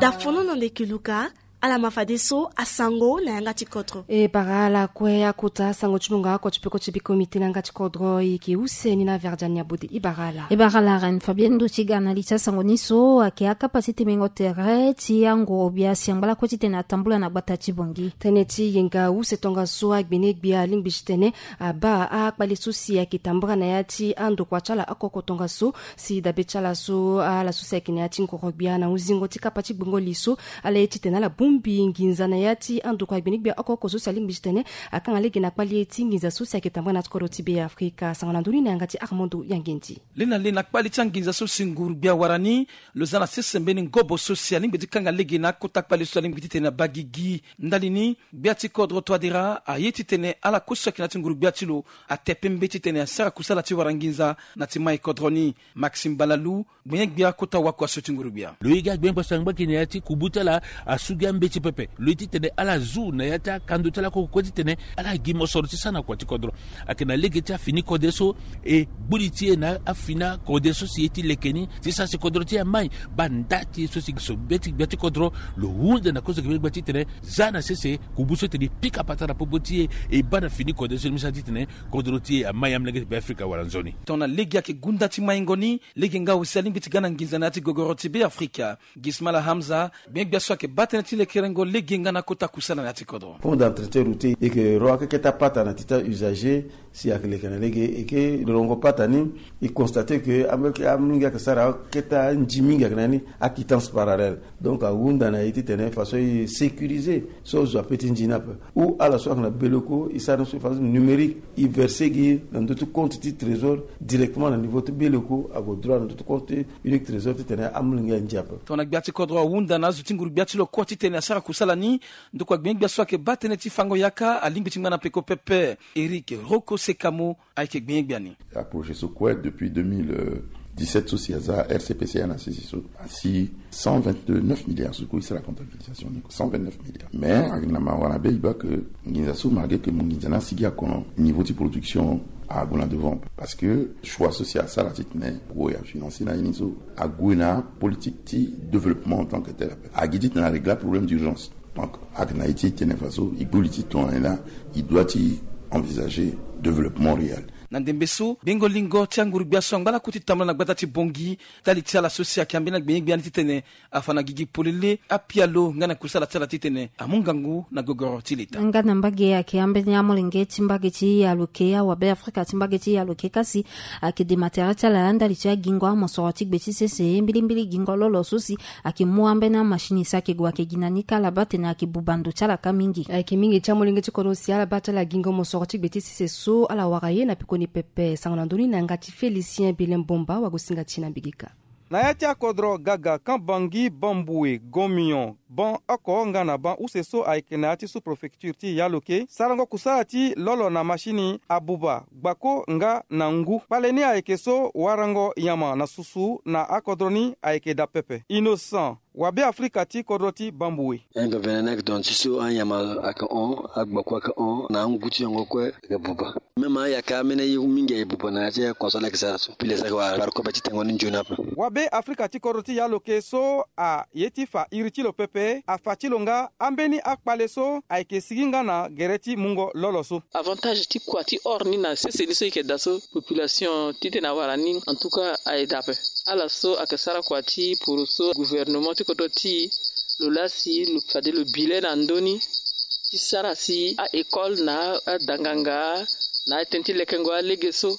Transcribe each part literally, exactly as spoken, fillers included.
Dafono na ndeke luka. Ala ma fadeso asango na yanga ti kodro. E bara ala kue akota asango ti mungo oko ti peko ti biko mite na yanga ti kodro. E yeke use ni na verdian ni abode. E bara ala. E bara ala reine fabienne ndo ti ga na li ti asango ni so ayeke akapa ti temengo tere ti angoro gbia si angba lakue titene atambula na gbata ti bongi. Tënë ti yenga use tongaso agbene gbia alingbi titene abaa akpale so si ayeke tambula na ya ti andokua ti ala oko oko tongaso. Si dabe ti ala so ala so si ayeke na ya ti ngoro gbia na huzingo ti kapa ti gbongo li so, ala ye titene ala bongbi nginza na ya ti andokua agbene gbia oko oko so si alingbi titene akanga lege na kpale ti nginza so si ayeke tambula na ti kodro ti be afrika. Sango na ndoni na yanga ti armando yangendi. Lena lena kpale ti anginza so si nguru gbia wara ni, lo za na sese mbeni ngobo so si alingbi ti kanga lege na akota kpale so alingbi titene abaa gigi. Ndali ni, gbia ti kodro toadera aye titene ala kue so ayeke na ya ti nguru gbia ti lo ate pembe titene asara kusala ti wara nginza na ti mai kodro ni. Maxime balalu, gbenye-gbia kota wakua so ti nguru-gbia. Lo ye gi agbenye-gbia so angba gi na ya ti kubu ti ala asu gi ambeti pepe. Lo ye titene ala zu na ya ti akando ti ala koko kue titene ala gi mosoro ti sara na kua ti kodro. Ayeke na lege ti afini kode so e gbuli ti e na afini akode so si e ti leke ni ti sara si kodro ti e amai. Baa nda ti e so si so be ti gbia ti kodro. Lo hunda na kozo gbenye-gbia titene za na sese kubu so tene e pika patara popo ti e e baa na fini kode so ni mu sara titene kodro ti e amai. Amolenge ti be afrika wala nzoni. Tongana lege ayeke gunda ti maingo ni, lege nga aussi alingbi ti ga na nginza na ya ti gogoro ti be afrika. Gismala hamza, gbenye-gbia so ayeke baa tënë ti lekerengo lege nga na kota kusala na ya ti kodro. Pont d'entretien routier e yeke ro akeke ti apata na ti ti ausager. Si ayeke leke na lege e yeke lorongo pata ni. E constate ke amolenge ayeke sara akete anzi mingi ayeke na ni. Aquittance parallèle. Donc ahunda na e titene façon e sécuriser so zo ape ti nzi ni ape. Ou ala so ayeke na beleko e sara ni so façon numérique. E verser gi na ndö ti compte ti trésor directement na niveau ti beleko ague droit na ndö ti compte unique trésor titene amolenge anzi ape. Tongana gbia ti kodro ahunda na azo ti nguru-gbia ti lo kue titene asara kusala ni. Ndokua gbenye-gbia so ayeke baa tënë ti fango yaka alingbi ti ngba na peko pepe. Eric roko sekamo ayeke gbenye-gbia ni. Aprojet so kue depuis deux mille dix-sept so si aza rcpca na sisi so asi cent vingt-neuf milliards so kue e sara comptabilisation ni cent vingt-neuf milliards. Mais ayeke na mawa na be e baa ke nginza so malgré ke mo nginza ni asigi akono niveau ti production ague na devant parce que choix so si asara titene ague afinancer na ye ni so ague na politique ti développement en tant que tel ape agi titene arégler aproblème d'urgence. Donc ayeke na ye ti tene faso e gbu li ti tongana nyen laa e doit ti envisager développement réel. Na ndembe so gbengo lingo ti anguru-gbia so angba lakue ti tambula na gbata ti bongi. Ndali ti ala so si ayeke ambeni agbenye-gbia ni titene afa na gigi polele apialo nga na kusala ti ala titene amu ngangu na gogoro ti leta. Nga na mbage ayeke ambeni amolenge ti mbage ti yaloke awabe afrika ti mbage ti yaloke kasi ayeke dema tere ti ala ndali ti agingo amosoro ti gbe ti sese mbilimbili gingo lolo so si ayeke mu ambeni amashini si ayeke gue ayeke gi na ni kâ ala baa tene ayeke buba ndo ti ala kâ mingi. Ayeke mingi ti amolenge ti kodro si ala baa ti ala gingo mosoro ti gbe ti sese so ala wara ye na pekoni pepe sango na ndö ni na yanga ti félicien bilen bomba wagosinga ti na mbigika. Na ya ti akodro gaga kan bangi bambue gomion ban oko nga na ban use so ayeke na ya ti sous-préfecture ti yaloke sarango kusala ti lolo na mashini abuba gbako nga na ngu kpale ni ayeke so warango nyama na susu na akodro ni ayeke daa pepe innocent. Wabe afrika ti kodro ti bambue. Enga venenek don ti so anyama ayeke hon agbako ayeke hon na angu ti yongo kue ayeke buba. Même ayaka amene ye mingi aye buba na ya ti akonso ala yeke sara so pile so ayeke wara bari kobe ti tengo ni nzoni ape. Wabe afrika ti kodro ti yaloke so aye ti fa iri ti lo pepe afa ti lo nga ambeni akpale so ayeke sigi nga na gere ti mungo lolo so. Avantage ti kua ti or ni na sese ni so e yeke daa so population titene awara ni en tout cas aye daa ape. Ala so ayeke sara kua ti poroso gouvernement ti kodro ti lo laa si lo fade lo bi le na ndö ni ti sara si a-école na adanganga na atënë ti lekengo alege so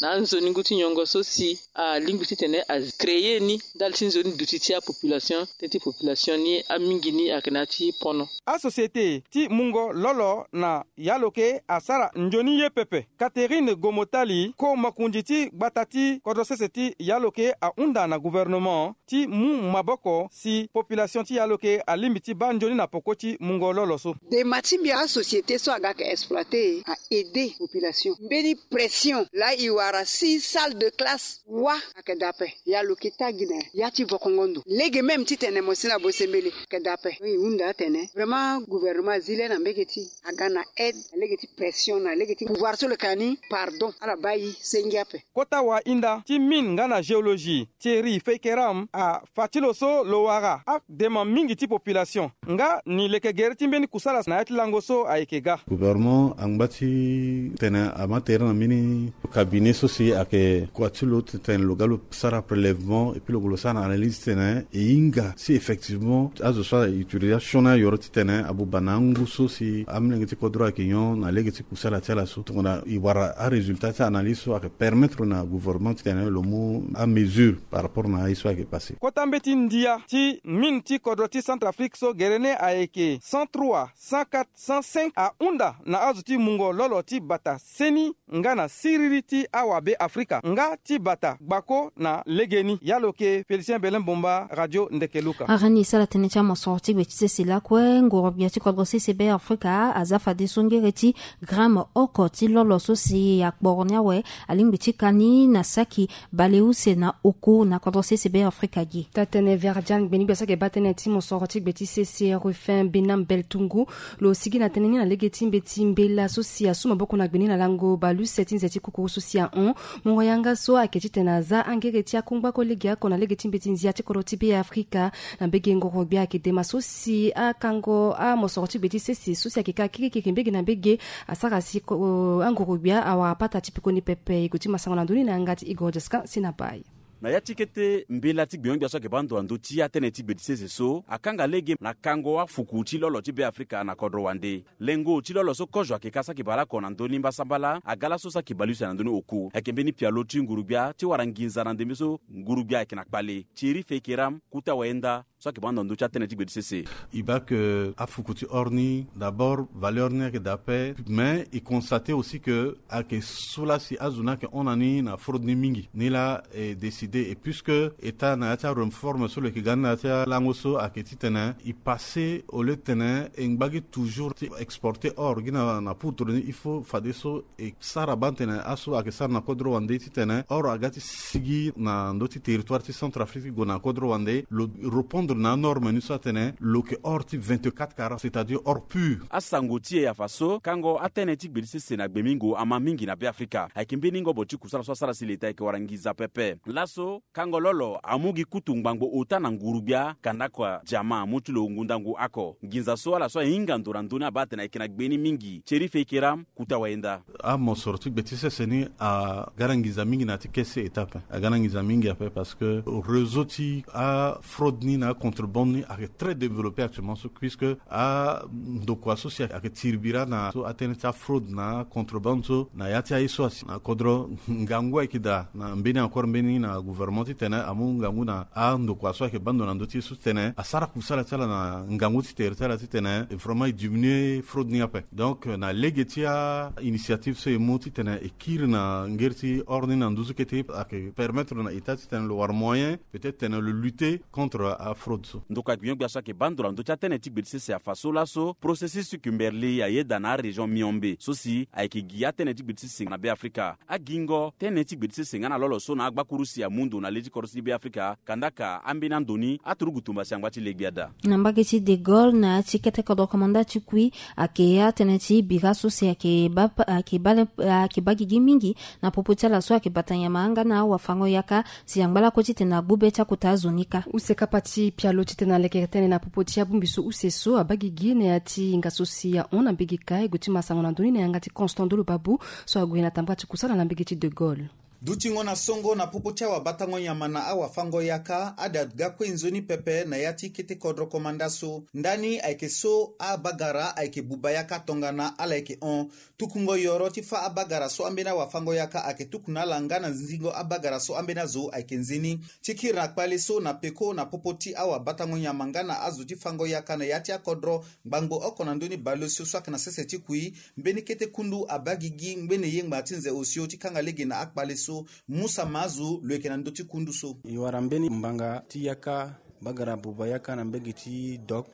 na anzoni ngu ti nyongo so si alingbi titene acréer ni ndali ti nzoni duti ti apopulation tënë ti population ni amingi ni ayeke na ya ti pono. Asociété ti mungo lolo na yaloke asara nzoni ye pepe. Catherine gomotali ko makonzi ti gbata ti kodro sese ti yaloke ahunda na gouvernement ti mu maboko si population ti yaloke alingbi ti baa nzoni na poko ti mungo lolo so. Dema ti mbi asociété so aga yeke exploiter a aider population mbeni pression laa e wara si salle de classe Wa ayeke daa ape. Ya lo yeke taa gi na ya ti vokongo ndo lege même titene mo si na bosembele ayeke daa ape. E hunda atene vraiment gouvernement azi le na mbege ti aga na aide na lege ti pression na lege ti pouvoir so lo yeke na ni pardon ala baa e senge ape. Kota wahinda ti mine nga na géologie Thierry Feikeram afa ti lo so lo wara adema mingi ti population nga ni leke gere ti mbeni kusala na ya ti lango so ayeke ga. Gouvernement angba ti tene ama tere na mbeni cabinet so si ayeke kua ti lo titene lo ga lo sara prélèvement et puis lo gue lo sara na analyse titene e hinga si effectivement azo so autilisation ni ayoro titene abuba na angu so si amolenge ti kodro ayeke nyon na lege ti kusala ti ala so tongana e wara arésultat ti analyse so ayeke permettre na gouvernement titene lo mu amesure par rapport na aye so ayeke passé. Kota mbeti ndia ti mine ti kodro ti Centrafrique so gere ni ayeke cent trois, cent quatre, cent cinq ahunda na azo ti mungo lolo ti bata seni nga na siriri ti awabe Afrika nga ti bata gbako na legeni. Ya lo yeke Félicien Belin Bomba, Radio Ndeke Luka. Arani e sara tënë ti amosoro ti gbe ti sese lakue ngoro-gbia ti kodro sese Be Afrika aza fadeso ngere ti gramme oko ti lolo so si akporo ni awe alingbi ti ka ni na saki baleuse na oku na kodro sese Be Afrika gi. Taa-tënë Verdiane Gbeni-gbia so ayeke baa tënë ti mosoro ti gbe ti sese Rufin Benam Beltungu lo sigi na tënë ni na lege ti mbeti mbela so si asu maboko na gbe ni na lango baleuse ti nze ti kukuru so si ahon. Mungo yanga so ayeke titene aza angere ti akungba ko lege oko na lege ti mbeti nzia ti kodro ti Be Afrika. Na mbege ngoro-gbia ayeke dema so si akango amosoro ti gbe ti sese so si ayeke ka kirikiri mbege na mbege asara si ko- angoro-gbia awara pata ti pekoni pepe. E gue ti ma sango na ndö ni na yanga ti Igor Jescan si na bai. Na ya ti kete mbela ti gbenyo-gbia so ayeke baa ndo na ndö ti atënë ti gbe ti sese so akanga lege na kango afuku ti lolo ti Be Afrika na kodro wande. Lengo ti lolo so kozo ayeke ka saki baleoko na ndö ni mbasambala aga laso saki baleuse na ndö ni oku. Ayeke mbeni pialo ti nguru-gbia ti wara nginza na ndembe so nguru-gbia ayeke na kpale. Thierry Feikeram, Kota Wayenda, so ayeke baa ndo na ndö ti atënë ti gbe ti sese. E baa ke afuku ti or ni d'abord valeur ni ayeke daa ape mais e constate aussi ke ayeke so laa si azo ni ayeke hon na ni na fraude ni mingi. Ni laa e décide et puisque état na ya ti aréforme so lo yeke ga ni na ya ti alango so ayeke titene e passé au lieu titene e ngba gi toujours ti exporter or gi na na poudre ni il faut fadeso e sara baa tene aso ayeke sara na kodro wande titene or aga ti sigi na ndö ti territoire ti Centrafrique ti gue na kodro wande lo répondre na anorme ni so atene lo yeke or ti vingt-quatre carats c'est-à-dire or pur. Asango ti e afa so kango atënë ti gbe ti sese na gbe mingo ama mingi na Be Afrika. Ayeke mbeni ngobo ti kusala so asara si leta ayeke wara nginza pepe. Laso kango lolo amu gi kutu ngbangbo ota na nguru-gbia kanda kua diamant amu ti lo ngu ndangu oko. Nginza so ala so ahinga ndo na ndö ni abaa atene ayeke na gbe ni mingi. Thierry Feikeram, Kota Wayenda. Amosoro ti gbe ti sese ni aga na nginza mingi na ya ti kese étape aga na nginza mingi ape parce que réseau ti afraude ni na acontrebande ni ayeke très développé actuellement so puisque andokua so si ayeke tiri bira na so atënë ti afraude na acontrebande so na ya ti aye so asi na kodro ngangu ayeke daa na mbeni encore mbeni na gouvernement titene amu ngangu na andokua so ayeke baa ndo na ndö ti ye so titene asara kusala ti ala na ngangu ti tere ti ala titene vraiment e diminuer fraude ni ape. Donc na lege ti ainitiative so e mu titene e kiri na ngeri ti or ni na nduzu kete ayeke permettre na état titene lo wara moyen peut-être tene lo lutter contre afraude so. Ndokua gbenyo-gbia so ayeke baa ndo na ndö ti atënë ti gbe ti sese afa so laso processus ti Kimberley ayeda na arégion Miombe so si ayeke gi atënë ti gbe ti sese na Be Afrika. Agingo tënë ti gbe ti sese nga na lolo so na agbakuru si amu ndo na le ti kodro ti Be Afrika kandaka ambeni ando ni aturugu tumba si angba ti le gbia daa. Na mbage ti De Gaulle na ya ti kete kodro komanda ti kui ayeke atënë ti bira so si ayeke baa ayeke baa le ayeke baa gigi mingi na popo ti ala so ayeke bata nyama nga na awafango-yaka si angba lakue titene agbu be ti akota azo ni kâ. Use kapa ti pialo titene alekere tënë na popo ti abongbi so use so abaa gigi na ya ti hinga so si ahon na mbage kâ e gue ti ma sango na ndö ni na yanga ti Constant Ndolo Babu so ague na tambara ti kusala na mbage ti De Gaulle. Dutingo na songo na popo ti awabatango nyama na awafango-yaka ada ga kue nzoni pepe na ya ti kete kodro komanda so. Ndani ayeke so abagara ayeke buba yaka tongana ala yeke hon. Tukungo yoro ti fâ abagara so ambeni awafango-yaka ayeke tuku na ala nga na nzingo abagara so ambeni azo ayeke nzeni. Ti kiri na kpale so na peko na popo ti awabatango nyama nga na azo ti fango-yaka na ya ti akodro ngbangbo oko na ndö ni baleuse so ayeke na sese ti kui, mbeni kete kundu abaa gigi ngbene yengba ti nze osio ti kanga lege na akpale so. Musa Mazu lo yeke na ndö ti kundu so. E wara mbeni mbanga ti yaka Bagara buba yaka na mbege ti dok,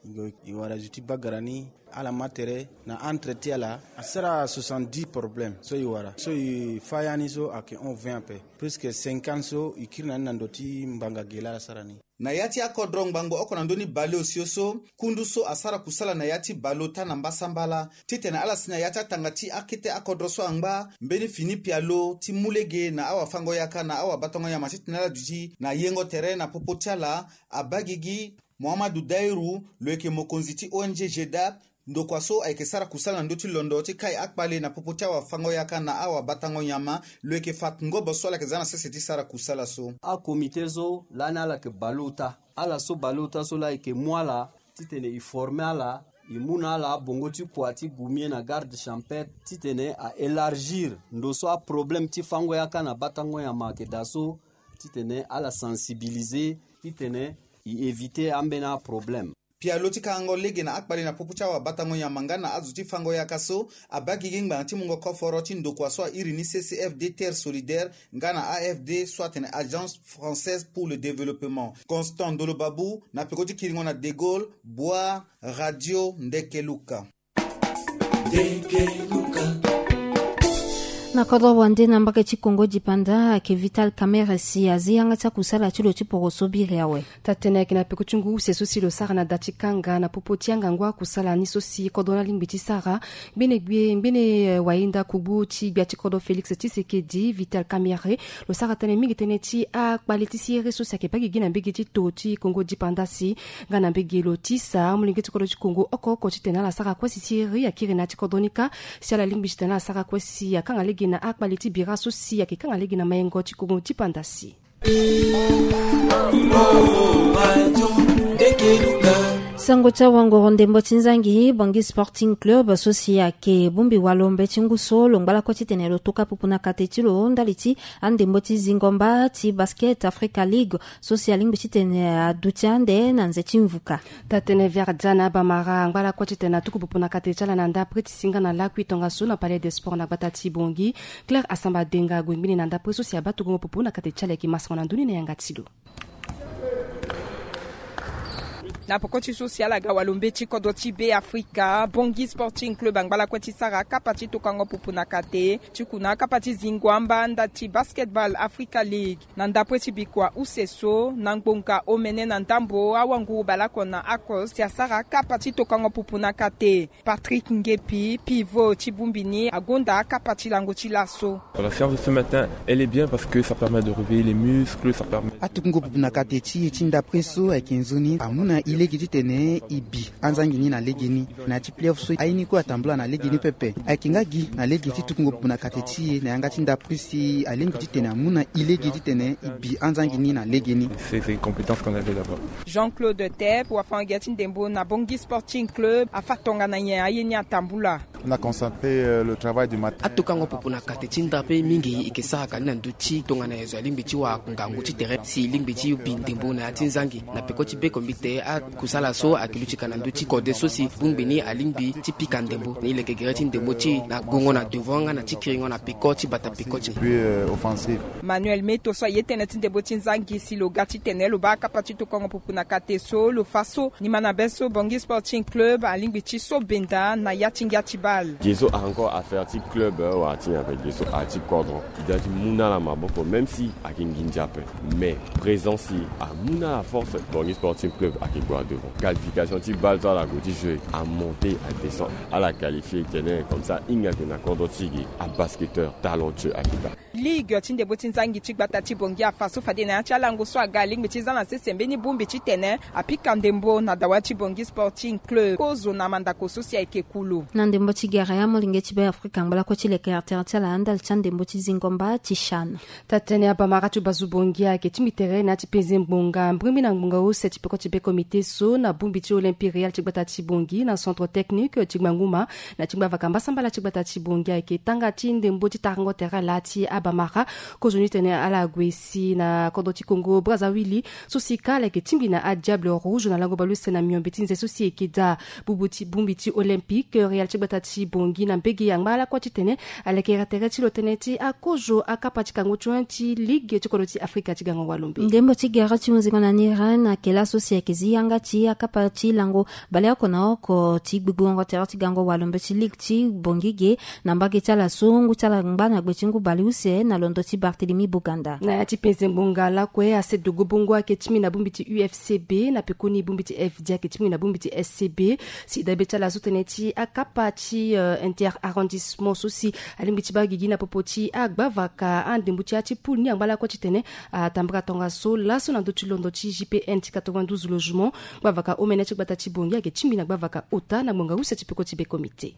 i wara zo ti bagara ni. Ala ma tere na entre ti ala asara soixante-dix problème so i wara so i fa ya ni so ayeke hon vingt ape. Plus que cinquante so i kiri na ni na ndo ti mbanga gela ala sara ni. Na ya ti akodro ngbangbo oko na ndö ni baleosio so, kundu so asara kusala na ya ti baleota na mbasambala titene ala si na ya ti atanga ti akete akodro so angba mbeni fini pialo ti mu lege na awafango-yaka na awabatango-nyama titene ala duti na yengo tere na popo ti ala. Abagigi Mohamadu Dairu, lo yeke mokonzi ti O N G G D A P, ndokua so ayeke sara kusala na ndö ti londo ti kai akpale na popo ti awafango-yaka na awabatango-nyama, lo yeke fa ngobo so ala yeke za na sese ti sara kusala so. Akomite so lani ala yeke baleota, ala so baleota so laa e yeke mu ala titene e forme ala, e mu na ala abongo ti kua ti gumie na garde champêtre titene a élargir ndo so aproblème ti fango-yaka na batango-nyama ayeke daa so, titene ala sensibiliser titene e éviter ambeni aproblème. Pialo ti kangango lege na akpale na popo ti awabatango-nyama nga na azo ti fango-yaka so, abagigi ngbanga ti mungo koforo ti ndokua so a iri ni C C F D Terre Solidaire nga na A F D so atene Agence Française pour le Développement. Constant Ndolo Babou na peko ti kiringo na De Gaulle, Bua, Radio Ndeke Luka. Na kodro wande na mbage ti Kongo dipanda ayeke Vital Kamerhe si azi yanga ti akusala ti lo ti poroso biri awe. Tatene ayeke na peko ti ngu use so si lo sara na da ti kanga na popo ti angangu akusala ni so si kodro ni alingbi ti sara. Ngbene gbie ngbene, eh, wayenda kugbu ti gbia ti kodro Félix Tshisekedi, Vital Kamerhe, lo sara tënë mingi tënë ti akpale ti siriri so si ayeke baa gigi na mbage ti to ti Kongo dipanda si nga na mbage lo tisa amolenge ti kodro ti Kongo oko oko titene ala sara kue si siriri akiri na ya ti kodro ni kâ, si ala lingbi titene ala sara kue si akanga lege na akpale ti bira so si ayeke kanga lege na mayengo ti Kongo dipanda si. Sango ti awangoro ndembo ti nzangi Bangui Sporting Club so si ayeke bongbi walo mbeti ngu so lo ngba lakue titene lo toka pupu na kate ti lo ndali ti andembo ti zingo mba ti Basket Africa League so si alingbi titene aduti ande na nze ti mvuka. Tatene Verdiana Bamara angba lakue titene atuku pupu na kate ti ala na ndapre ti si nga na lakui tongaso na Palais des Sports na gbata ti Bangui. Claire Asamba Denga ague ngbene na ndapre so si abaa tokongo pupu na kate ti ala, e yeke masango na ndö ni na yanga ti lo. Na poko ti so si ala ga walo mbeti kodro ti Be Afrika, Bangui Sporting Club angba lakue ti sara kapa ti tokango pupu na kate ti kuna kapa ti zingo amba nda ti Basketball Africa League. Na ndapre ti bikua use so na ngbonga omene na ndambo awanguru baleoko na oko si asara kapa ti tokango pupu na kate. Patrick Ngepi, pivot ti bongbi ni, agonda akapa ti lango ti laso. La séance de ce matin, elle est bien parce que ça permet de réveiller les muscles, ça permet... Atukungo pupu na kate ti e ti ndapre so ayeke nzoni amu na e lege titene e bi anzangi ni na lege ni. Na ya ti playoff so aye ni kue atambula na lege ni pepe. Ayeke nga gi na lege ti tukungo pupu na kate ti e na yanga ti ndapre si alingbi titene amu na e lege titene e bi anzangi ni na lege ni. C'est, c'est une compétence qu'on avait là-bas. Jean-Claude Tep, wafango-gi ti ndembo na Bangui Sporting Club, afa tongana nyen aye ni atambula. On a concentré, euh, le travail du matin. Atokango pupu na kate ti ndapre mingi e yeke sara ka ni na ndö ti tongana e zo alingbi ti wara ngangu ti tere si e lingbi ti bi ndembo na ya ti nzangi. Na peko ti beko mbi te akusala so ayeke luti ka na ndö ti kode so si bongbi ni alingbi ti pika ndembo ni leke gere ti ndembo ti e na gongo na devant nga na ti kiringo na peko ti bata peko ti. Puis, euh, offensive. Manuel Meto so aye tënë ti ndembo ti nzangi si lo ga titene lo baa kapa ti tokongo pupu na kate so lo fa so ni ma na be so Bangui Sporting Club alingbi ti so benda na ya ti ngia ti bale. Ge so a encore affaire ti club, euh, wala ti nyen, avec ge so a ti kodro. E da ti mu na ala maboko même si ayeke nginza ape. Mais présence ti e amu na ala force. Bangui Sporting Club ayeke gue na devant. Qualification ti bale so ala gue ti jouer, amonte adescend. Ala qualifié tene comme ça, hinga ayeke na kodro ti e, abasketteur talentueux ayeke daa. Ligue ti ndembo ti nzangi ti gbata ti Bangui afa so fade na ya ti alango so aga alingbi ti za na sese mbeni bongbi titene apika ndembo na dawa ti Bangui Sporting Club. Kozo na mandako so si ayeke kulu. Na ndembo ti gere, amolenge ti Be Afrika angba lakue ti leke artere ti ala ndali ti andembo ti zingo mba ti CHAN. Tatene abamara ti bazu Bangui ayeke tingbi tere na ya ti penze ngbonga mbirimbiri na ngbonga use ti peko ti be comité so na bongbi ti Olympique Royal ti gbata ti Bangui na centre technique ti Gbanguma na ti ngbavaka mbasambala ti gbata ti Bangui ayeke tanga ti ndembo ti tarango tere laa ti aba Bamara. Kozo ni tene ala gue si na kodro ti Congo Brazzaville so si ka ala yeke tingbi na adiable rouge na lango baleuse na miombe ti nze so si eke daa. Bongbi ti olympique, Real ti gbata ti Bangui na mbege angba lakue titene ala yeke tere ti lo tënë ti akozo akapa ti kango ti ligue ti kodro ti Afrika ti gango walombe. Ndembo ti gere ti hunzingo na ni ren na kela so si ayeke zi yanga ti akapa ti lango baleoko na oko ti gbigbigongo tere ti gango walombe ti ligue ti Bangui ge. Na mbage ti ala so ngu ti ala ngba na gbe ti ngu baleuse na londo ti Barthélemy Boganda. Na ya ti penze ngbonga lakue, asedogo bongo ayeke ti mbi na bongbi ti U F C B, na pekoni bongbi ti F D ayeke ti mbi na bongbi ti S C B. Si dabe ti ala so tënë ti akapa ti, euh, inter arrondissement so si alingbi ti baa gigi na popo ti agbavaka andembo ti ya ti poule ni angba lakue titene atambara tongaso laso na ndö ti londo ti J P N ti quatre-vingt-douze logement. Gbavaka omene ti gbata ti Bangui ayeke ti mbi na gbavaka ota na ngbonga use ti peko ti be comité.